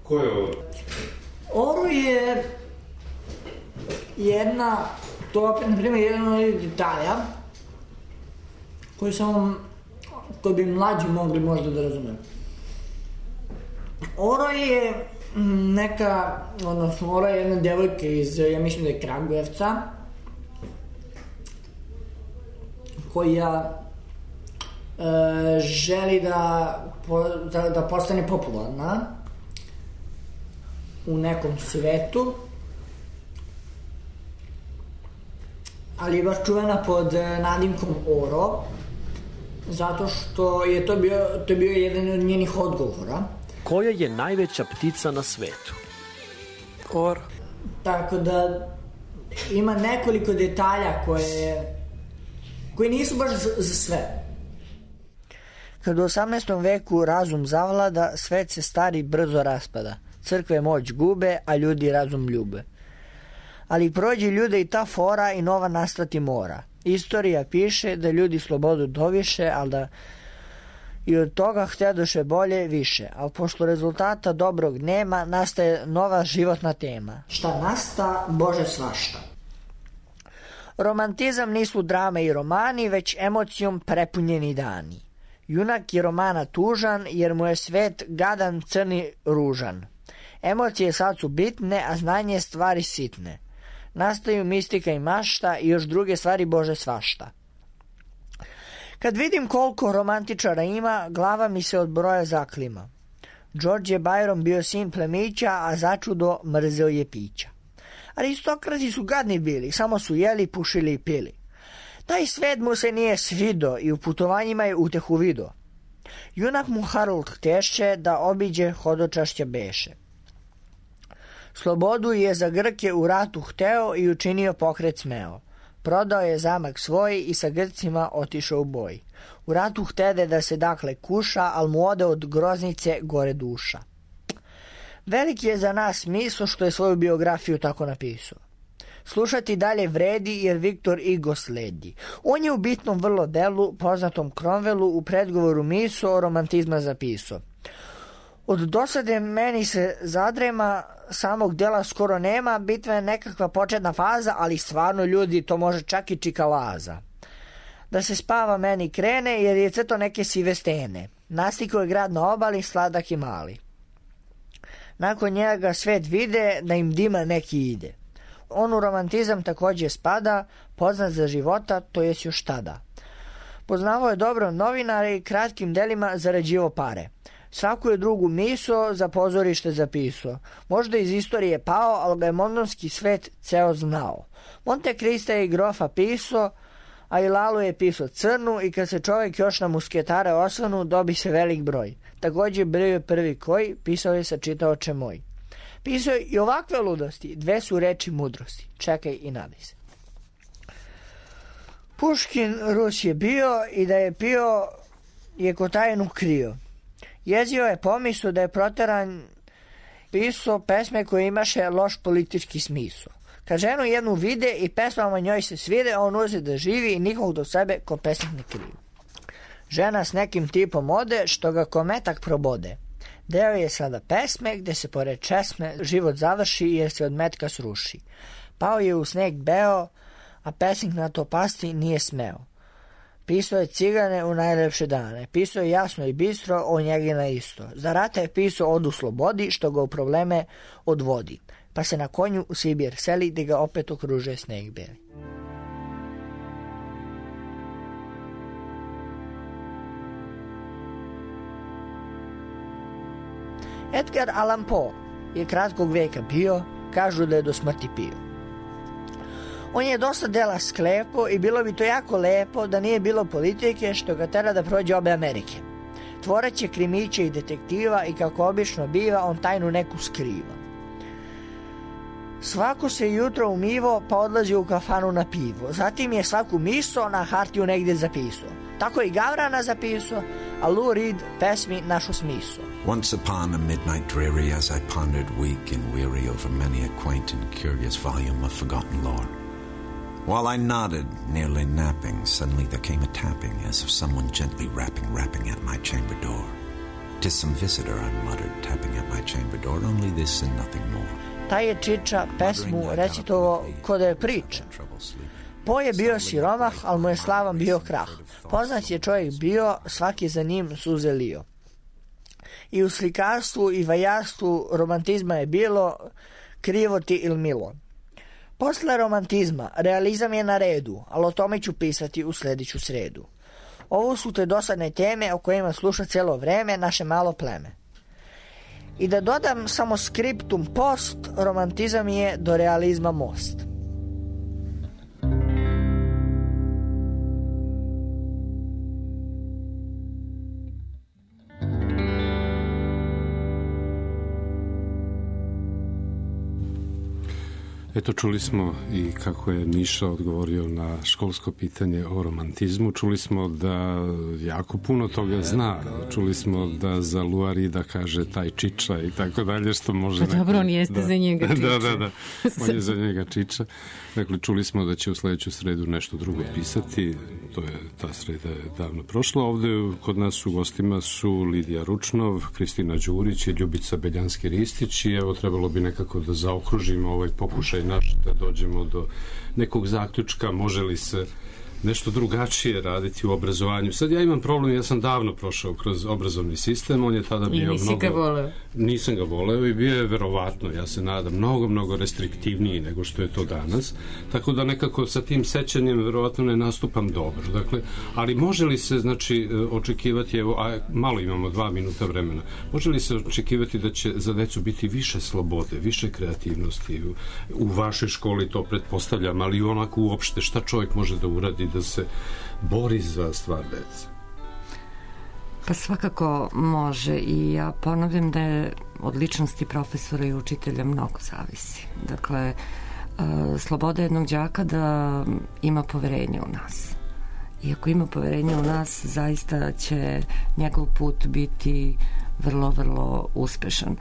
Ko je Oro?
Oro je jedna, to opet na primjer jedan od detalja koji bi mlađi mogli možda da razumeju. Oro je Oro je jedna devojka iz, ja mislim da je Kragujevca, koja želi da postane popularna u nekom svetu, ali je baš čuvena pod nadimkom Oro, zato što je to bio jedan od njenih odgovora.
Koja je najveća ptica na svetu?
Oro. Tako da ima nekoliko detalja koji nisu baš za sve. Kad u 18. veku razum zavlada, svet se stari brzo raspada. Crkve moć gube, a ljudi razum ljube. Ali prođe ljude i ta fora i nova nastati mora. Istorija piše da ljudi slobodu doviše, ali da i od toga htjedoše bolje više. Ali pošto rezultata dobrog nema, nastaje nova životna tema. Šta nasta, Bože svašta. Romantizam nisu drame i romani, već emocijom prepunjeni dani. Junak je romana tužan, jer mu je svet gadan, crni, ružan. Emocije sad su bitne, a znanje stvari sitne. Nastaju mistika i mašta i još druge stvari Bože svašta. Kad vidim koliko romantičara ima, glava mi se od broja zaklima. George je Byron bio sin plemića, a začudo mrzeo je pića. Aristokrati su gadni bili, samo su jeli, pušili i pili. Taj svet mu se nije svido i u putovanjima je utehu vido. Junak mu Harold htješe da obiđe hodočašća beše. Slobodu je za Grke u ratu hteo i učinio pokret smeo. Prodao je zamak svoj i sa Grcima otišao u boj. U ratu htede da se dakle kuša, al mu ode od groznice gore duša. Veliki je za nas smisao što je svoju biografiju tako napisao. Slušati dalje vredi jer Viktor Hugo sledi. On je u bitnom vrlo delu, poznatom Cromwellu, u predgovoru miso romantizma zapisao. Od dosade meni se zadrema, samog dela skoro nema, bitva je nekakva početna faza, ali stvarno ljudi to može čak i čikalaza. Da se spava meni krene jer je crto neke sive stene. Nastikao je grad na obali, sladak i mali. Nakon njega svet vide da im dima neki ide. On u romantizam također spada, poznat za života, to jest još tada. Poznavao je dobro novinare i kratkim delima zarađivao pare. Svaku je drugu miso za pozorište zapisao. Možda iz istorije pao, ali ga je londonski svet ceo znao. Monte Krista je i grofa pisao, a i Lalu je pisao crnu i kad se čovjek još na musketare osvanu, dobi se velik broj. Također bio je prvi koji, pisao je sa čitaoče moj. Pisao je i ovakve ludosti, 2 su reči mudrosti. Čekaj i nadaj se. Puškin Rus je bio i da je pio je kotajnu krio. Jezio je pomisao da je proteran, pisao pesme koje imaše loš politički smisao. Kad ženu jednu vide i pesmama njoj se svide, on uze da živi i nikog do sebe ko pesnik ne krivi. Žena s nekim tipom ode, što ga kometak probode. Deo je sada pesme, gde se pored česme život završi jer se od metka sruši. Pao je u sneg beo, a pesnik na to pasti nije smeo. Pisao je cigane u najlepše dane, pisao je jasno i bistro, o njegi na isto. Za rata je pisao od u slobodi, što ga u probleme odvodi. Pa se na konju u Sibir seli, gde ga opet okružuje sneg beli. Edgar Allan Poe je kratkog veka bio, kažu da je do smrti pio. On je dosta dela sklepo i bilo bi to jako lepo da nije bilo politike što ga tera da prođe obe Amerike. Tvorac je krimića i detektiva i kako obično biva, on tajnu neku skriva. Svako se jutro umivo pa odlazi u kafanu na pivo. Zatim je svaku miso na hartiju negdje zapisao. Tako i Gavrana zapisao, a Lou Reed pesmi našu smisao.
Once upon a midnight dreary, as I pondered weak and weary over many a quaint and curious volume of forgotten lore. While I nodded, nearly napping, suddenly there came a tapping, as of someone gently rapping at my chamber door. 'Tis some visitor, I muttered, tapping at my chamber door, only this and nothing more.
Taj je Čiča pesmu recitovo ko da je priča. Poe je bio siromah, ali mu je slavan bio krah. Poznat je čovjek bio, svaki za njim suze lio. I u slikarstvu i vajarstvu romantizma je bilo krivo ti il milo. Posle romantizma, realizam je na redu, ali o tome ću pisati u sljedeću sredu. Ovo su te dosadne teme o kojima sluša cijelo vreme naše malo pleme. I da dodam samo skriptum post, romantizam je do realizma most.
Eto, čuli smo i kako je Miša odgovorio na školsko pitanje o romantizmu. Čuli smo da jako puno toga zna. Čuli smo da za Luarida kaže taj Čiča i tako dalje, što može...
Pa dobro, on jeste za njega Čiča.
Da. On je za njega Čiča. Dakle, čuli smo da će u sljedeću sredu nešto drugo pisati. Ta sreda je davno prošla. Ovde kod nas u gostima su Lidija Ručnov, Kristina Đurić i Ljubica Beljanski-Ristić i evo trebalo bi nekako da zaokružimo ovaj pokušaj naš, da dođemo do nekog zaključka, može li se nešto drugačije raditi u obrazovanju. Sad ja imam problem, ja sam davno prošao kroz obrazovni sistem, on je tada bio nisam ga voleo i bio je verovatno, ja se nadam, mnogo restriktivniji nego što je to danas, tako da nekako sa tim sećanjem verovatno ne nastupam dobro. Dakle, ali može li se, znači, očekivati, evo, a malo imamo 2 minuta vremena, može li se očekivati da će za decu biti više slobode, više kreativnosti u vašoj školi, to pretpostavljam, ali onako uopšte šta čovjek može da uradi da se bori za stvar dece?
Pa svakako može i ja ponavljam da je od ličnosti profesora i učitelja mnogo zavisi. Dakle, sloboda jednog đaka da ima poverenje u nas. I ako ima poverenje u nas, zaista će njegov put biti vrlo, vrlo uspešan.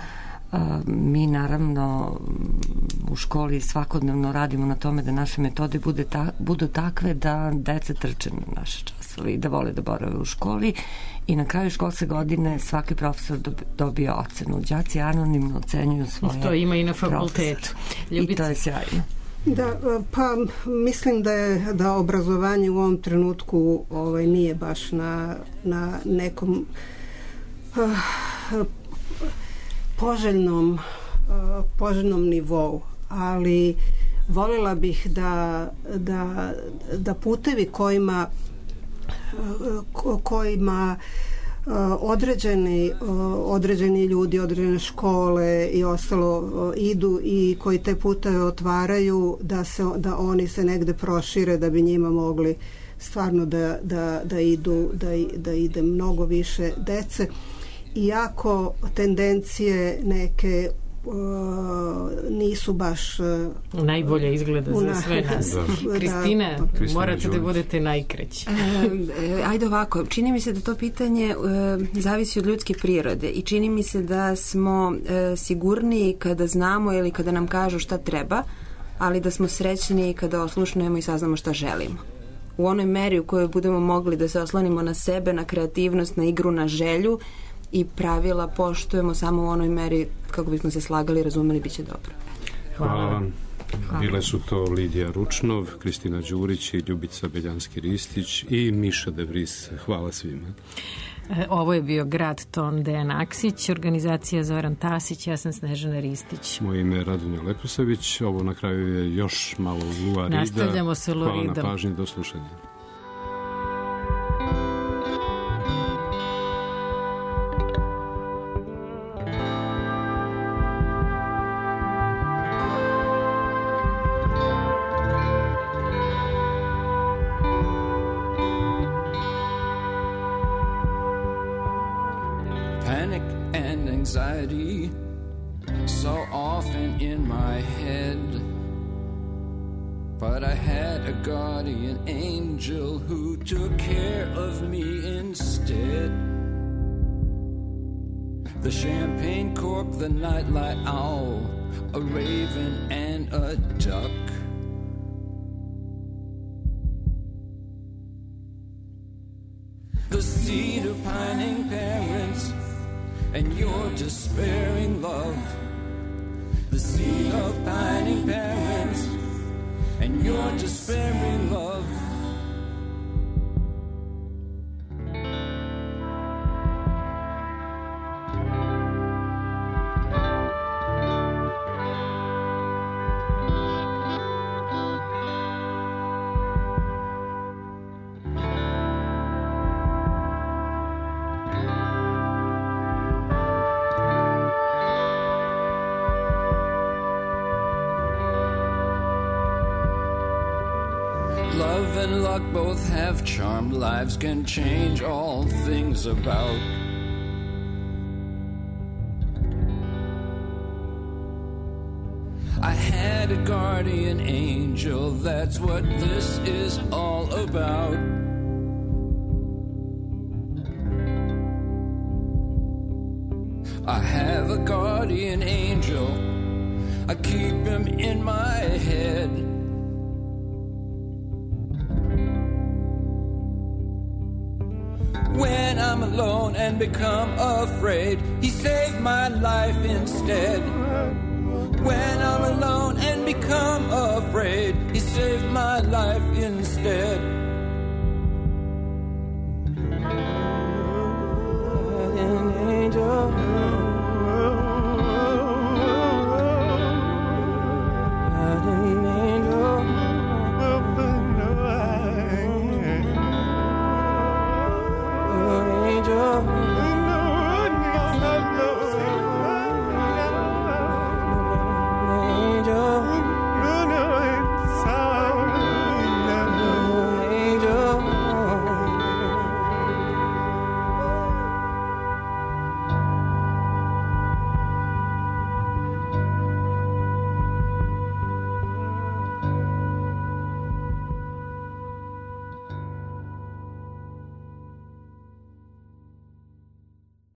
Mi naravno u školi svakodnevno radimo na tome da naše metode budu takve da deca trče na naše časove i da vole da borave u školi i na kraju školske godine svaki profesor dobije ocenu. Đaci anonimno ocenjuju svoje
to ima i na fakultetu.
I to je sjajno.
Da, pa mislim da obrazovanje u ovom trenutku nije baš na nekom poželjnom nivou, ali voljela bih da putevi kojima određeni ljudi, određene škole i ostalo idu i koji te puteve otvaraju, da oni se negde prošire, da bi njima mogli stvarno da ide mnogo više dece. Iako tendencije neke nisu baš
najbolje izgleda za sve nas. Kristina, morate da budete najkraći.
Ajde ovako, čini mi se da to pitanje zavisi od ljudske prirode i čini mi se da smo sigurniji kada znamo ili kada nam kažu šta treba, ali da smo srećni kada oslušnemo i saznamo šta želimo. U onoj meri u kojoj budemo mogli da se oslonimo na sebe, na kreativnost, na igru, na želju i pravila poštujemo samo u onoj meri kako bismo se slagali i razumeli, bit će dobro.
Hvala vam. Bile su to Lidija Ručnov, Kristina Đurić i Ljubica Beljanski-Ristić i Miša De Vries. Hvala svima.
Ovo je bio Grad ton Dejan Aksić, organizacija Zoran Tasić, ja sam Snežana Ristić.
Moje ime je Radonja Leposavić, ovo na kraju je još malo Lua Rida.
Nastavljamo sa Luridom.
Hvala na pažnji, do slušanja.
Anxiety so often in my head, but I had a guardian angel who took care of me instead. The champagne cork, the nightlight owl, a raven and a duck. The seed of pining parents and your despairing love, the seed of pining parents and your despairing love. Love and luck both have charmed lives, can change all things about. I had a guardian angel, that's what this is all about. I have a guardian angel, I keep him in my head. When I'm alone and become afraid, he saved my life instead. When I'm alone and become afraid, he saved my life